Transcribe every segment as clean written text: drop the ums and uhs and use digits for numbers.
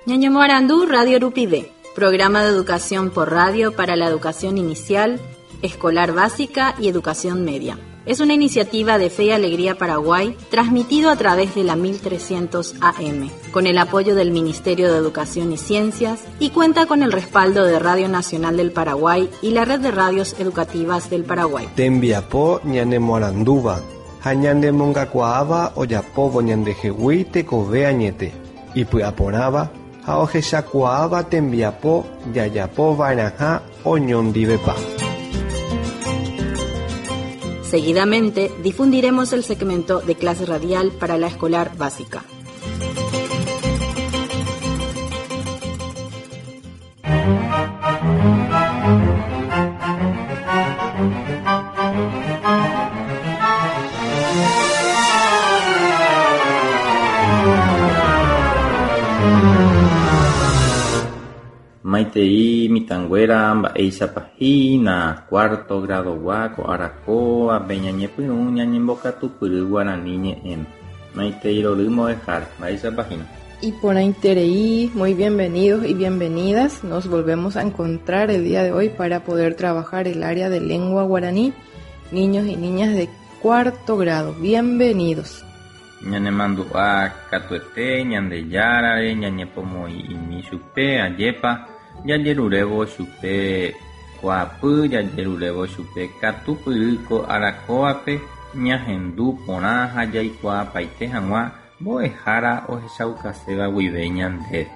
Ñañomoarandu Radio Rupive, programa de educación por radio para la educación inicial, escolar básica y educación media. Es una iniciativa de Fe y Alegría Paraguay, transmitido a través de la 1300 AM, con el apoyo del Ministerio de Educación y Ciencias y cuenta con el respaldo de Radio Nacional del Paraguay y la Red de Radios Educativas del Paraguay. Tembiapo ñanemoarandúva ha ñanemongakuaáva ojapóvo ñandehegui tekove añete, ipy'aporãva ha ohechakuaáva tembiapo jajapova'erãha oñondivepa. Seguidamente difundiremos el segmento de clase radial para la escolar básica. Maitei mitãnguéra mba'éichapa hína cuarto grado-gua ko ára kóvape ñañepyrũ ñañembokatupyry guarani ñe'ẽme. Maitei rory mbo'ehára, mba'éichapa hína. Iporãiterei, muy bienvenidos y bienvenidas. Nos volvemos a encontrar el día de hoy para poder trabajar el área de lengua guaraní. Niños y niñas de cuarto grado, bienvenidos. Ñanemandu'a katuete Ñandejárare ñañepomoĩ'imi chupe, ajépa jajerurévo chupe kuaapy, jajerurévo chupe katupyry ko ára kóvape ñahendu porã ha jaikuaapaite hag̃ua mbo'ehára ohechaukaséva guive ñandéve.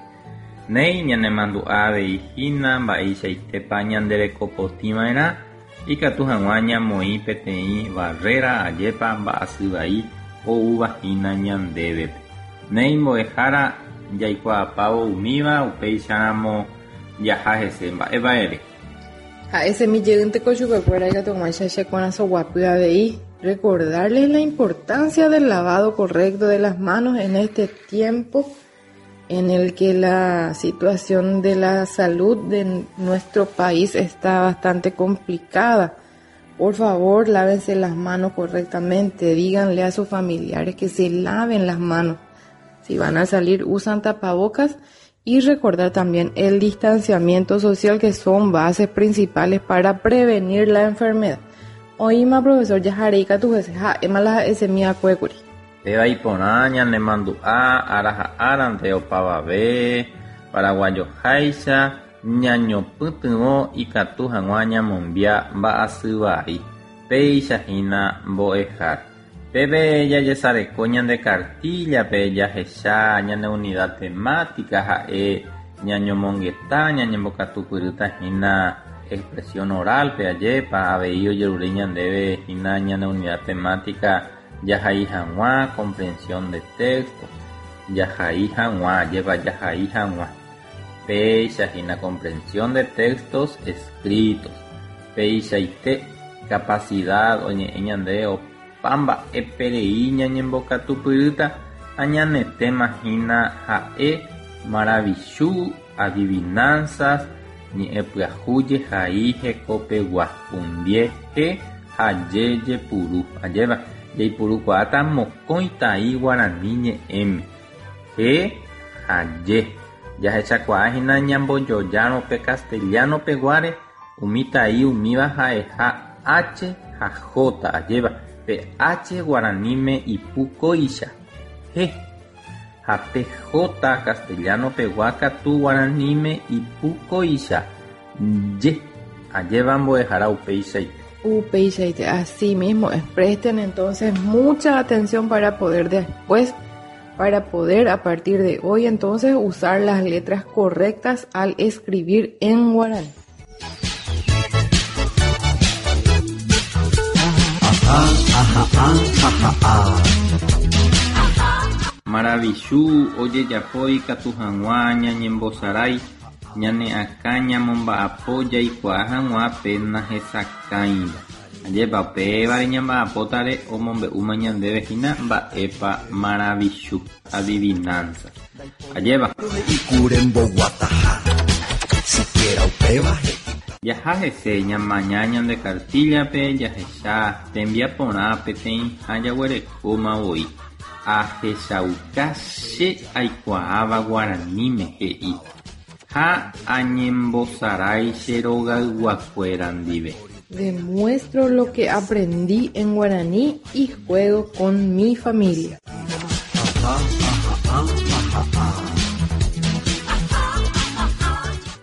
Néi ñanemandu'a avei hína mba'eichaitépa ñanderekopotĩva'erã ikatu hag̃ua ñamoĩ peteĩ barrera ajépa mba'asy vai oúva hína ñandévepe. Néi mbo'ehára jaikuaapávo umíva upéicharamo jaha hese mba'épa ere. Ha'esemi jeýnteko chupekuéra ikatu hag̃uáicha che korasõ guapy avei. Recordarles la importancia del lavado correcto de las manos en este tiempo en el que la situación de la salud de nuestro país está bastante complicada. Por favor, lávense las manos correctamente, díganle a sus familiares que se laven las manos. Si van a salir, usan tapabocas y recordar también el distanciamiento social que son bases principales para prevenir la enfermedad. Oĩma profesor jaharei katu hese ha'éma la ha'esemi akuékuri. Péva iporã ñanemandu'a ára ha árante opavave paraguayoháicha ñañopytyvõ ikatu hag̃ua ñamombia mba'asy vai. Péicha hína mbo'ehára. Pépe jajesareko ñande kartíllape jahecha ñane unidad temática ha'e ñañomongeta ñañembokatupyrýta hína expresión oral-pe ajépa avei ojerure ñandéve hína ñane unidad temática jahai hag̃ua comprensión de texto jahai hag̃ua ajépa jahai hag̃ua péicha hína comprensión de textos escritos peichaite capacidad oñe'ẽ ñande opa mba'eperei ñañembokatupyrýta ha ñane tema hína ha'e maravichu adivinanzas ñe'ẽ pyahu jehai hekopegua pundie he ha je jepuru ajépa jaipurukuaáta mokõi tai guarani ñe'ẽme he ha je jahechakuaa hína ñambojojárõ pe castellano peguáre umi tai umíva ha'eha H ha J ajépa pe H guaraníme ipu kóicha he ha pe J castellano pegua katu guaraníme ipu kóicha je ajépa mbo'ehára upeichaite. Upeichaite, así mismo es. Presten entonces mucha atención para poder después, para poder a partir de hoy entonces usar las letras correctas al escribir en guaraní. Maravichu ojejapo ikatu hag̃ua ñañembosarái ñane akã ñamomba'apo jaikuaa hag̃ua pe nahesakãiva. Ajépa upévare ñamba'apótare omombe'úma ñandéve hína mba'épa maravichu, adivinanza. Ajépa. Jaha hese ñamaña ñande kartíllape jahecha tembiaporã peteĩha jaguerekóma voi. Ahechauka che aikuaáva guaraníme he'i ha añembosarái che rogayguakuéra ndive. Demuestro lo que aprendí en guaraní y juego con mi familia.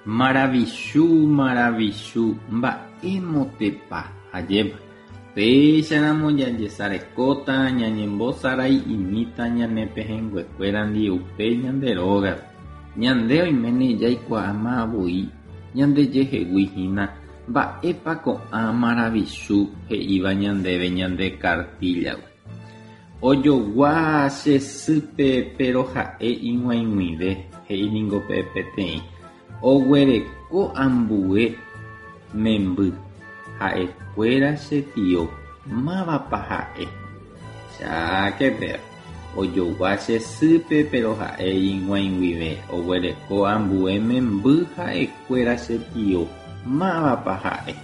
Maravichu, maravichu, mba'émotepa, ajépa. Péicharamo jajesarekóta, ñañembosarai'imíta ñane pehẽnguekuérandi upe ñande rógape. Ñande oiméne jaikuaáma voi ñandejehegui hína mba'épa ko'ã maravichu he'íva ñandéve ñande kartíllagui. Ojogua che sýpe péro ha'e ig̃uaig̃uive, he'i ningo pe peteĩ. Oguereko ambue memby, ha'ekuéra che tio, mávapa ha'e? Cháke péva. Ojogua che sýpe péro ha'e ig̃uaig̃uive, oguereko ambue memby, ha'ekuéra che tio, mávapa ha'e?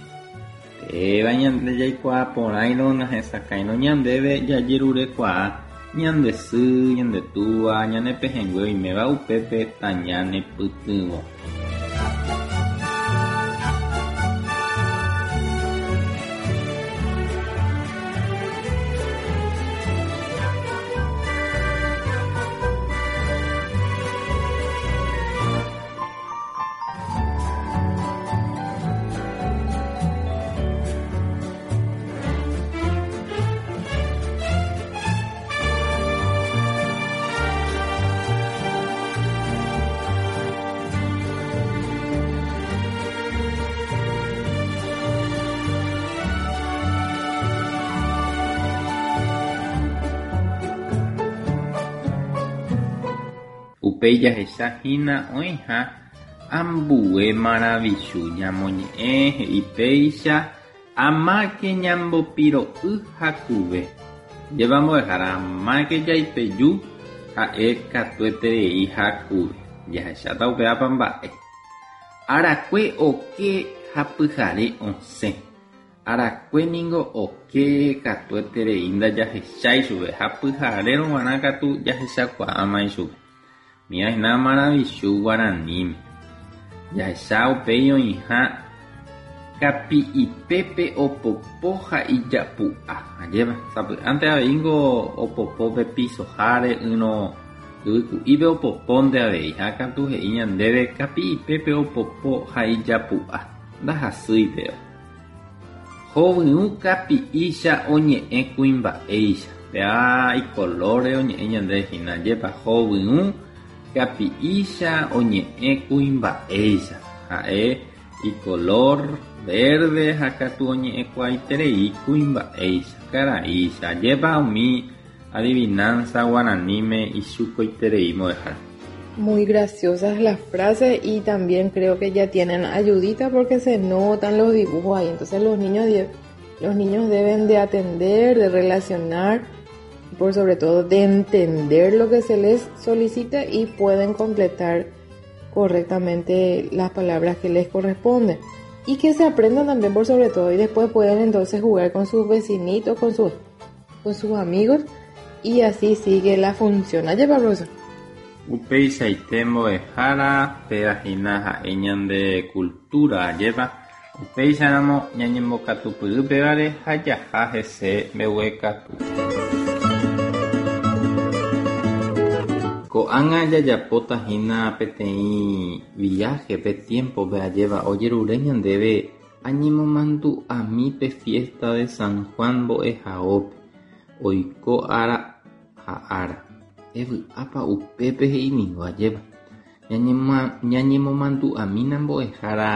Péva ñande jaikuaa porãirõ nahesakãirõ ñandéve jajerurekuaa ñande sy, ñande túva, ñane pehẽngue oiméva upépe tañanepytyvõ. Upéi jahecha hína oĩha ambue maravichu ñamoñe'ẽ he'i péicha amáke ñambopiro'y hakuve. Jeva mbo'ehára amáke jaipeju ha'e katueterei hakuve. Jahecháta upévapa mba'e. Arakue oke ha pyhare osẽ. Arakue ningo oke katueterei ndajahechái chupe ha pyharérõ g̃uarã katu jahechakuaáma ichupe. Umíva hína maravichu guaraníme. Jahecha upéi oĩha kapi'ipépe opopo ha ijapu'a. Ajépa, sapy'ánte aveíngo opopo pe pisoháre ỹrõ yvyku'ípe opopónte avei ha katu he'i ñandéve kapi'ipépe opopo ha ijapu'a. Ndahasýi péva. Hovyũ kapi'ícha oñe'ẽ kuimba'éicha. Péva ikolóre oñe'ẽ ñande hína. Ajépa hovyũ kapi'ícha oñe'ẽ kuimba'éicha. Ha'e ikolór verde ha katu oñe'ẽkuaaiterei kuimba'éicha, karaícha. Ajépa umi adivinanza guaraníme ichukoiterei mbo'ehára. Muy graciosas las frases y también creo que ya tienen ayudita porque se notan los dibujos ahí. Entonces los niños, los niños deben de atender, de relacionar y por sobre todo de entender lo que se les solicita y pueden completar correctamente las palabras que les corresponden. Y que se aprendan también por sobre todo y después pueden entonces jugar con sus vecinitos, con sus, con sus amigos y así sigue la función. Ayer, profesor. Upeichaite mbo'ehára péva hína ha'e ñande cultura ajépa upéicharamo ñañembokatupyry pévare ha jaha hese mbeguekatu. Ko'ág̃a jajapóta hína peteĩ viaje pe tiempo-pe ajéva ojerure ñandéve añemomandu'ami pe fiesta de San Juan mbo'ehaópe oiko ára ha ára. Evy'ápa upépe he'iningo ajépa. Ñañemomandu'amína mbo'ehára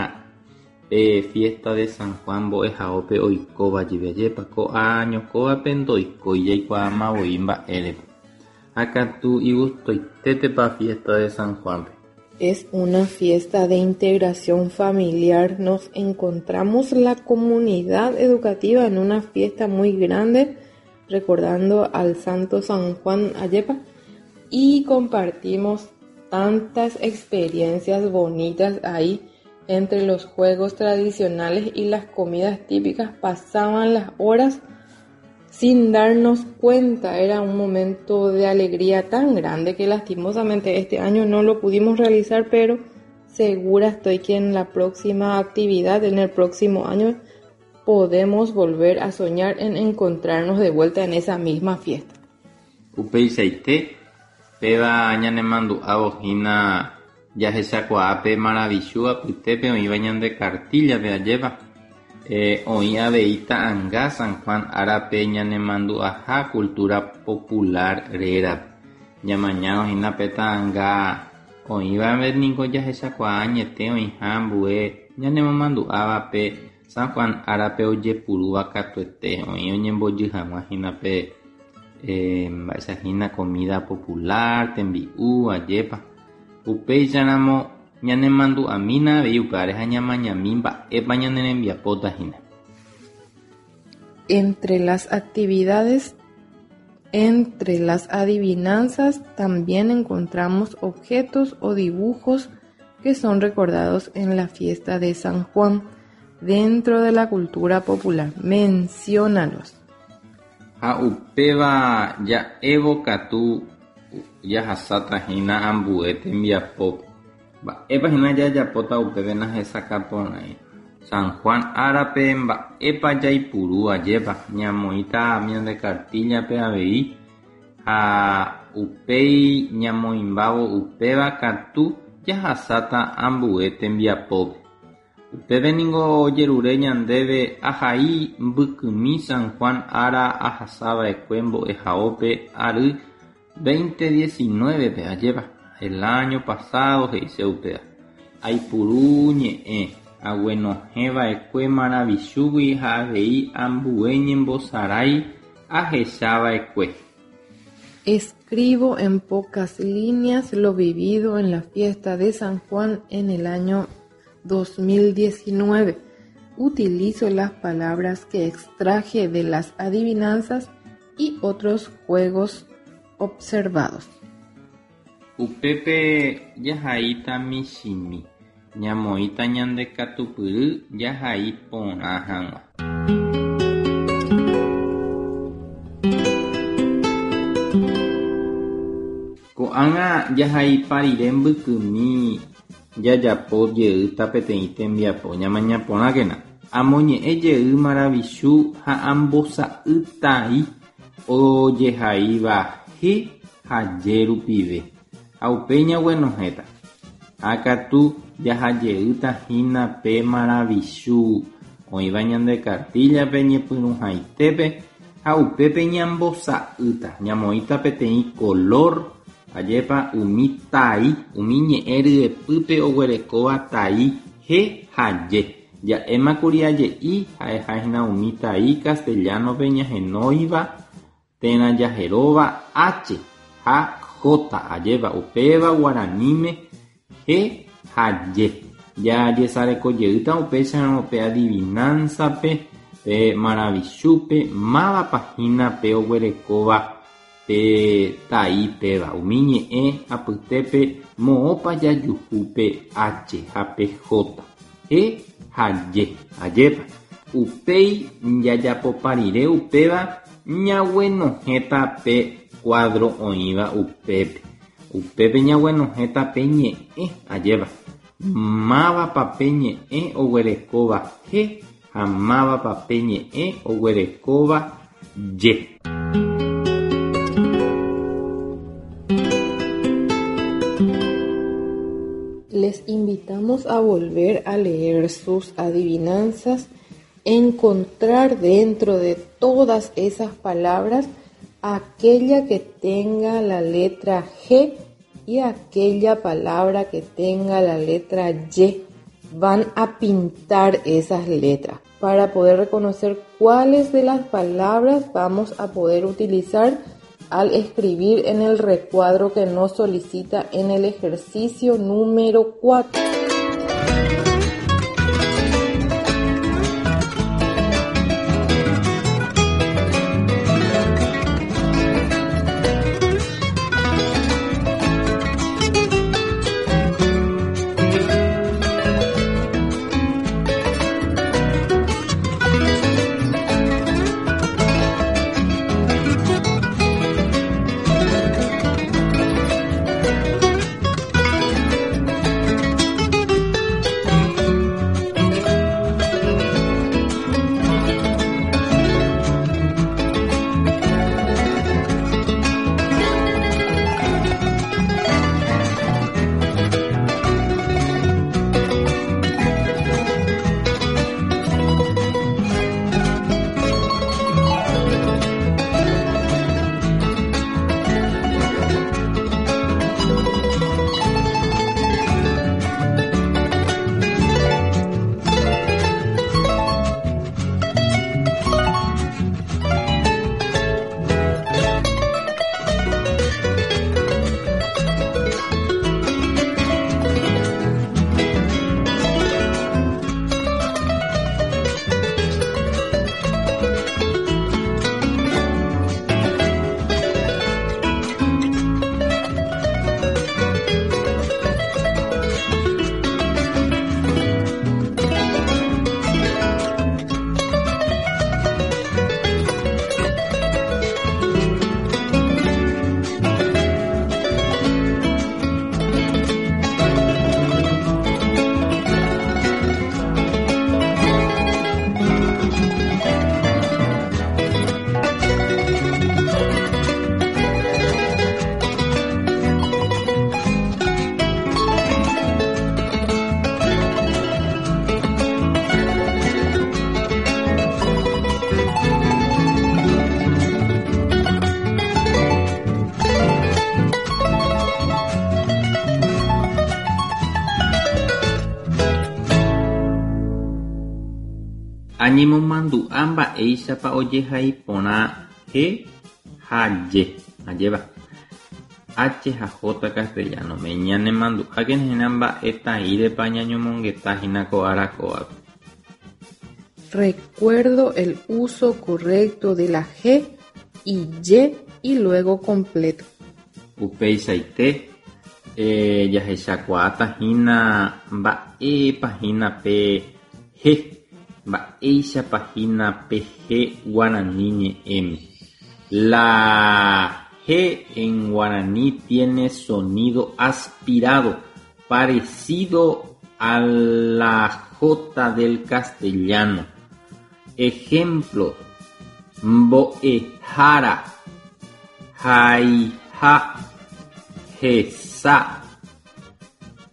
pe fiesta de San Juan mbo'ehaópe oikóva jepe ajépa ko año kóvape ndoikói jaikuaáma voi mba'érepa. Ha katu igustoitétepa fiesta de San Juan-pe. Es una fiesta de integración familiar. Nos encontramos la comunidad educativa en una fiesta muy grande, recordando al Santo San Juan Ayepa, y compartimos tantas experiencias bonitas ahí. Entre los juegos tradicionales y las comidas típicas pasaban las horas sin darnos cuenta. Era un momento de alegría tan grande que lastimosamente este año no lo pudimos realizar, pero segura estoy que en la próxima actividad, en el próximo año, podemos volver a soñar en encontrarnos de vuelta en esa misma fiesta. Upeichaite, péva ñanemandu'ávo hína jahechakuaa pe maravichu apytépe oĩva ñande kartíllape ajépa. Oĩ avei ta'anga San Juan árape ñanemandu'aha cultura popular rérape. Ñamañárõ hína pe ta'anga oĩvape niko jahechakuaa añete oĩha ambue ñanemomandu'áva pe San Juan árape ojepurúva katuete oĩ oñembojy hag̃ua hína pe mba'éicha hína comida popular, tembi'u, ajépa. Upéicharamo ñanemandu'amína avei upévare ha ñamañami mba'épa ñane rembiapóta hína. Entre las actividades, entre las adivinanzas también encontramos objetos o dibujos que son recordados en la fiesta de San Juan dentro de la cultura popular. Menciónalos. Ha upéva ja'évo katu jahasáta hína ambue tembiapópe. Mba'épa hína jajapóta upépe nahesakã porãi. San Juan árape mba'épa jaipuru ajépa ñamoĩta ñande kartíllape avei ha upéi ñamoĩmbávo upéva katu jahasáta ambue tembiapópe. Upépe ningo ojerure ñandéve ahai mbykymi San Juan ára ahasava'ekue mbo'ehaópe ary 2019-pe ajépa. El año pasado he'ise upéva. Aipuru ñe'ẽ aguenohẽva'ekue maravichúgui ha avei ambue ñembosarái ahechava'ekue. Escribo en pocas líneas lo vivido en la fiesta de San Juan en el año 2019. Utilizo las palabras que extraje de las adivinanzas y otros juegos observados. Upépe jahaíta michĩmi, ñamoĩta ñande katupyry jahai porã hag̃ua. Ko'ág̃a jahaipa rire mbykymi jajapo jeýta peteĩ tembiapo ñamaña porãkena. Amoñe'ẽ jey maravichu ha ambosa'ytai ojehaíva he ha je rupive. Ha upéi ñaguenohẽta. Ha katu jahajeýta hína pe maravichu oĩva ñande kartíllape ñepyrũhaitépe ha upépe ñambosa'ýta. Ñamoĩta peteĩ color ajépa umi tai, umi ñe'ẽ ryepýpe oguerekóva tai he ha je. Ja'émakuri aje'i ha'eha hína umi tai castellano-pe ñahenóiva térã jaheróva H ha J ajépa upéva guaraníme he ha je. Jajesarekojeýta upéicharõ pe adivinanza-pe, pe maravichúpe, mávapa hína pe oguerekóva pe tai péva. Umi ñe'ẽ apytépe moõpa jajuhu pe H ha pe J. He ha je. Ajépa. Upéi jajapopa rire upéva ñaguenohẽta pe cuadro oĩva upépe. Upépe ñaguenohẽta pe ñe'ẽ ajépa. Mávapa pe ñe'ẽ oguerekóva he ha mávapa pe ñe'ẽ oguerekóva je. Les invitamos a volver a leer sus adivinanzas, encontrar dentro de todas esas palabras aquella que tenga la letra G y aquella palabra que tenga la letra Y. Van a pintar esas letras para poder reconocer cuáles de las palabras vamos a poder utilizar al escribir en el recuadro que nos solicita en el ejercicio número 4. Añemomandu'a mba'éichapa ojehai porã he ha je, ajépa. H ha J castellano-me. Ñanemandu'ákena hína mba'etaírepa ñañomongeta hína ko ára kóvape. Recuerdo el uso correcto de la G y Y y luego completo. Upeichaite, jahechakuaáta hína mba'épa hína pe he, mba'éichapa hína pe he guarani ñe'ẽme. La G en guaraní tiene sonido aspirado, parecido a la J del castellano. Ejemplo, mbo'ehára, haiha, hesa,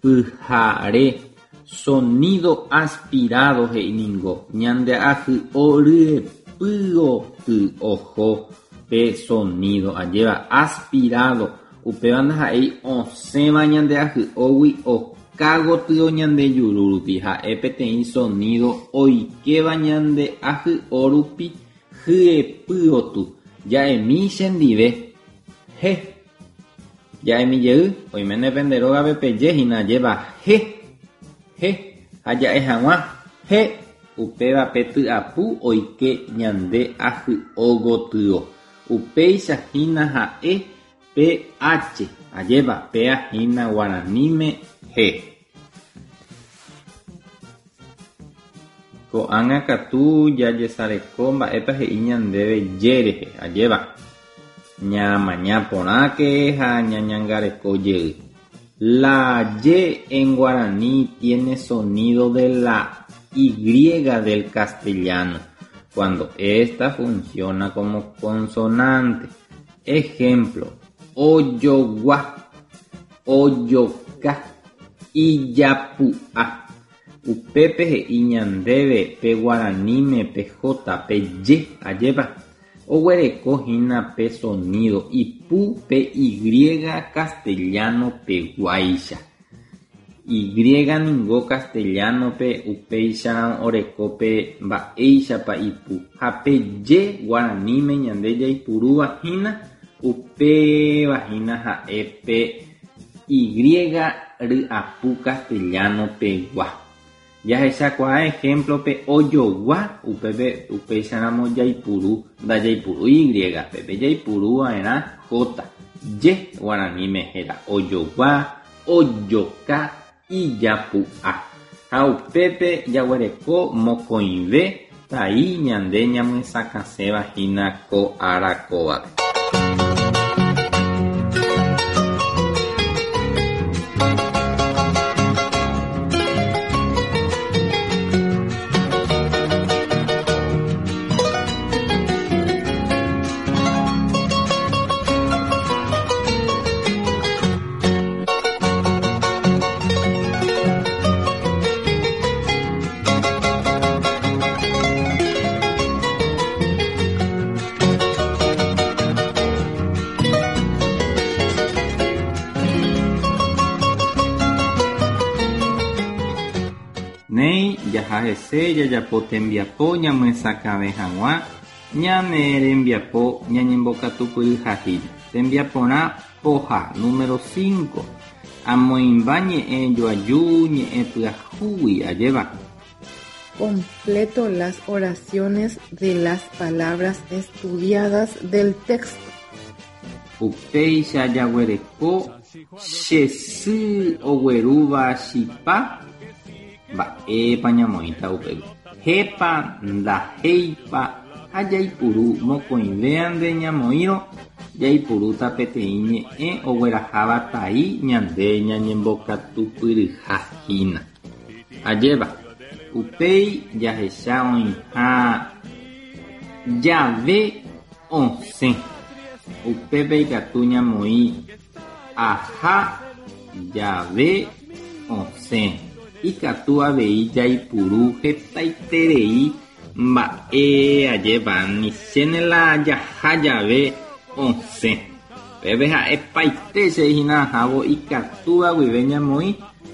pyhare. Sonido aspirado he'i ningo ñande ahy'o ryepýoty oho pe sonido ajéva aspirado upéva ndaha'éi osẽva ñande ahy'ógui oka gotyo ñande juru rupi ha'e peteĩ sonido oikéva ñande ahy'o rupi hyepýoty ja'emi chendive he ja'emi jey oiméne pende rógape peje hína ajéva he he ha ja'e hag̃ua he upéva pe tyapu oike ñande ahy'o gotyo upéicha hína ha'e pe H ajépa péa hína guaraníme he. Ko'ág̃a katu jajesareko mba'épa he'i ñandéve je rehe, ajépa. Ñamaña porãke ha ñañangareko jey. La ye en guaraní tiene sonido de la Y del castellano cuando ésta funciona como consonante. Ejemplo, ojogua, ojoka, ijapu'a. Upépe he'i ñandéve pe guaraníme pe J, pe ye, ajépa. Oguereko hína pe sonido ipu pe Y castellano peguáicha. Y ningo castellano pe upéicha oreko pe mba'éichapa ipu ha pe ye guaraníme ñande jaipurúva hína upéva hína ha'e pe Y ryapu castellano pegua. Jahechakuaa ejemplo pe ojogua upépe upéicharamo jaipuru ndajaipuru Y pépe jaipuru va'erã J. Ye guaraníme héra ojogua, ojoka, ijapu'a. Ha upépe jaguereko mokõive tai ñande ñamyesakãséva hína ko ára kóvape. Néi jahahese jajapo tembiapo ñamyesakãve hag̃ua ñane rembiapo ñañembokatupyryha hína. Tembiaporã poha número 5. Amoĩmba ñe'ẽ joaju ñe'ẽ pyahúgui ajéva. Completo las oraciones de las palabras estudiadas del texto. Upéicha jaguereko che sy oguerúva chipa mba'épa ñamoĩta upépe. Hépa ndahéipa ha jaipuru mokõivéante ñamoĩrõ jaipurúta peteĩ ñe'ẽ ogueraháva tai ñande ñañembokatupyryha hína. Ajépa, upéi jahecha oĩha jave osẽ. Upépe ikatu ñamoĩ aha jave osẽ. Ikatu avei jaipuru hetaiterei mba'e ajépa nichéne la jaha jave osẽ. Pépe ha'epaite che hína ahávo ikatúva guive ñamoĩ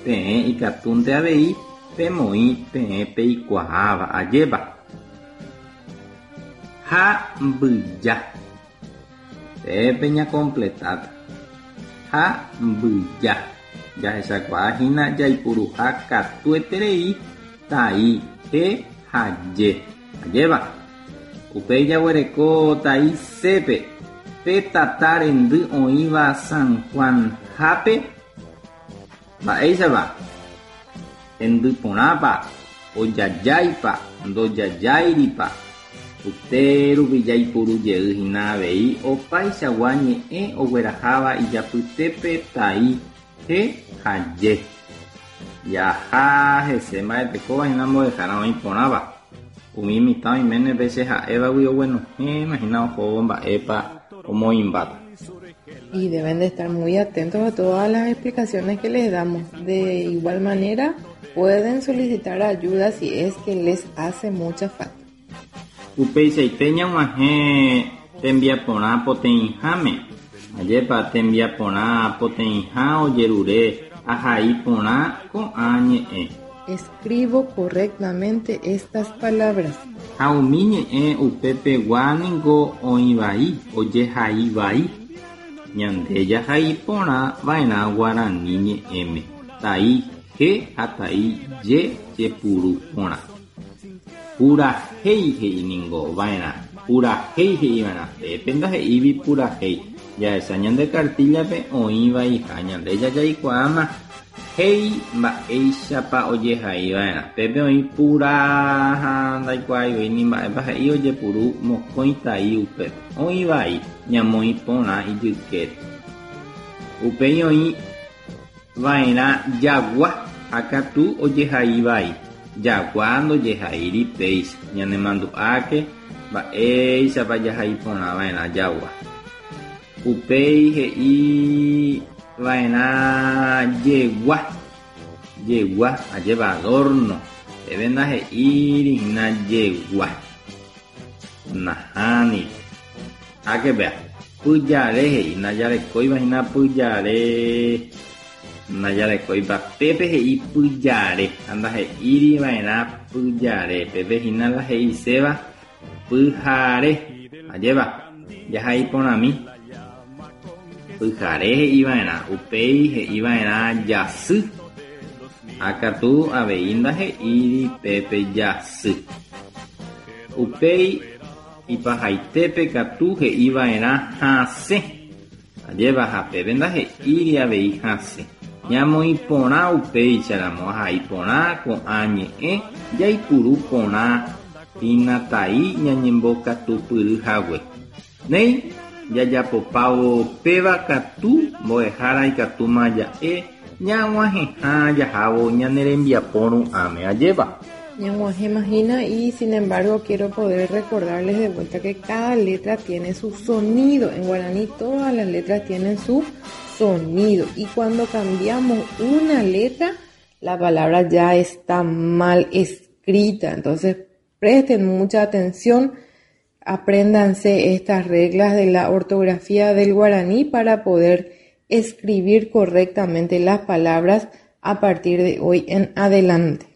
peẽ ikatúnte avei pemoĩ peẽ peikuaáva ajépa. Ha mbyja. Pépe ñakompletáta. Ha mbyja. Jahechakuaa hína jaipuruha katueterei tai he ha je. Ajépa? Upéi jaguereko tai c-pe, pe tata rendy oĩva San Juan-hápe. Mba'éichapa? Hendy porãpa? Ojajáipa? Ndojajáiripa? Upe rupi jaipuru jey hína avei opaichagua ñe'ẽ ogueraháva ijapytépe tai, he ha je. Jaha hese mba'etekóva hína mbo'ehára oĩ porãva. Umi mitã oiméne pe che ha'évagui oguenohẽma hína ohóvo mba'épa omoĩmbáta. Y deben de estar muy atentos a todas las explicaciones que les damos. De igual manera, pueden solicitar ayuda si es que les hace mucha falta. Upeichaite ñag̃uahẽ tembiaporã poteĩháme. Ajépa tembiaporã poteĩha ojerure ahai porã ko'ã ñe'ẽ. Escribo correctamente estas palabras. Ha umi ñe'ẽ upepegua ningo oĩ vai, ojehai vai. Ñande jahai porã va'erã guarani ñe'ẽme, tai he ha tai je jepuru porã. Purahéi he'i ningo va'erã, purahéi he'i va'erã, pépe ndahe'ívi purahéi. Jahecha ñande kartíllape oĩ vaiha, ñande jajaikuaáma héi mba'éichapa ojehai va'erã. Pépe oĩ pura ha ndaikuaái voi ni mba'épa he'i ojepuru mokõi tai upépe. Oĩ vai, ñamoĩ porã ijykére. Upéi oĩ va'erã jagua ha katu ojehai vai. Jagua ndojehaíri péicha. Ñanemandu'áke mba'éichapa jahai porã va'erã jagua. Upéi he'i va'erã jegua, jegua, ajépa adorno, pépe ndahe'íri hína jegua. Nahániri. Háke péa, pyjare he'i, ndajarekóiva hína pyjare, ndajarekóiva, pépe he'i pyjare, ha ndahe'íri va'erã pyjare, pépe hína la he'iséva Pyhare, ajépa, jahai porãmi. Pyhare he'iva'erã, upéi he'iva'erã jasy. Ha katu avei ndahe'íri pépe jasy. Upéi ipahaitépe katu he'iva'erã hasẽ. Ajépa, ha pépe ndahe'íri avei hasẽ. Ñamoĩ porã upéicharamo ahai porã ko'ã ñe'ẽ jaipuru porã hína tai ñañembokatupyry hague. Néi, jajapopávo péva katu mbo'ehára ikatúma ja'e ñag̃uahẽha jahávo ñane rembiapo ru'ãme. Ajépa. Ñag̃uahẽma hína y sin embargo quiero poder recordarles de vuelta que cada letra tiene su sonido. En guaraní todas las letras tienen su sonido y cuando cambiamos una letra la palabra ya está mal escrita. Entonces presten mucha atención, apréndanse estas reglas de la ortografía del guaraní para poder escribir correctamente las palabras a partir de hoy en adelante.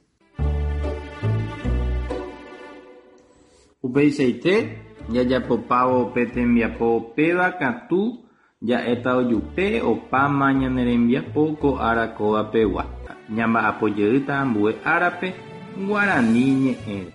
Upeichaite, jajapopávo pe tembiapo péva katu ja'éta ojupe opáma ñane rembiapo ko ára kóva pegua. Ñamba'apo jeýta ambue árape guarani ñe'ẽre.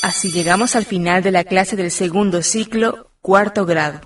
Así llegamos al final de la clase del segundo ciclo, cuarto grado.